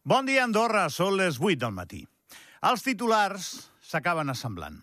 Bon dia, Andorra. Són les 8 del matí. Els titulars s'acaben assemblant.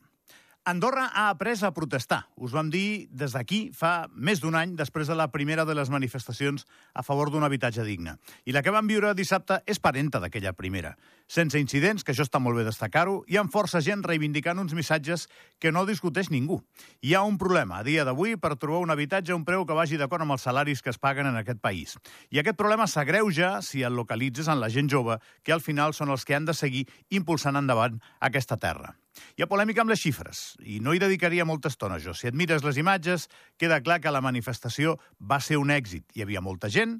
Andorra ha après a protestar. Us vam dir des d'aquí fa més d'un any, després de la primera de les manifestacions a favor d'un habitatge digne. I la que vam viure dissabte és parenta d'aquella primera. Sense incidents, que això està molt bé destacar-ho, i amb força gent reivindicant uns missatges que no discuteix ningú. Hi ha un problema a dia d'avui per trobar un habitatge a un preu que vagi d'acord amb els salaris que es paguen en aquest país. I aquest problema s'agreuja si el localitzes en la gent jove, que al final són els que han de seguir impulsant endavant aquesta terra. Hi ha polèmica amb les xifres, i no hi dedicaria molta estona jo. Si et mires les imatges, queda clar que la manifestació va ser un èxit. Hi havia molta gent,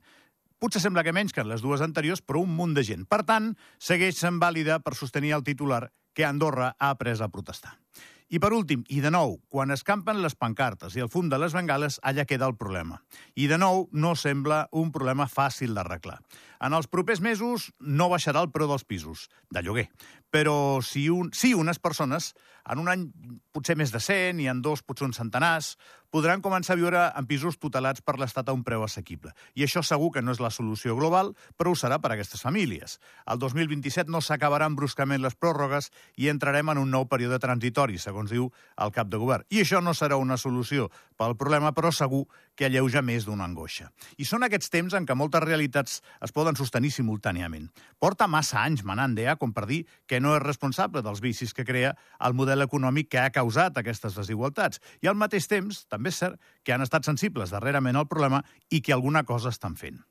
potser sembla que menys que en les dues anteriors, però un munt de gent. Per tant, segueix sent vàlida per sostenir el titular que Andorra ha après a protestar. I per últim, i de nou, quan es campen les pancartes i el fum de les bengales, allà queda el problema. I de nou, no sembla un problema fàcil d'arreglar. En els propers mesos no baixarà el preu dels pisos, de lloguer. Però si unes persones, en un any potser més de 100 i en dos potser uns centenars, podran començar a viure en pisos tutelats per l'Estat a un preu assequible. I això segur que no és la solució global, però ho serà per a aquestes famílies. El 2027 no s'acabaran bruscament les pròrrogues i entrarem en un nou període transitori, segons diu el cap de govern. I això no serà una solució pel problema, però segur que alleuja més d'una angoixa. I són aquests temps en què moltes realitats es poden sostenir simultàniament. Porta massa anys manant DEA com per dir que no és responsable dels vicis que crea el model econòmic que ha causat aquestes desigualtats. I al mateix temps, també és cert que han estat sensibles darrerament al problema i que alguna cosa estan fent.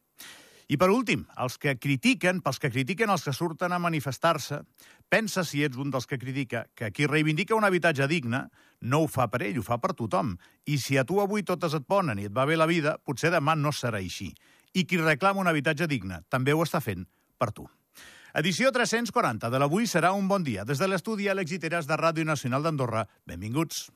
I per últim, pels que critiquen els que surten a manifestar-se, pensa, si ets un dels que critica, que qui reivindica un habitatge digne no ho fa per ell, ho fa per tothom. I si a tu avui totes et ponen i et va bé la vida, potser demà no serà així. I qui reclama un habitatge digne també ho està fent per tu. Edició 340 de l'Avui serà un bon dia. Des de l'estudi Àlex Iteras de Ràdio Nacional d'Andorra, benvinguts.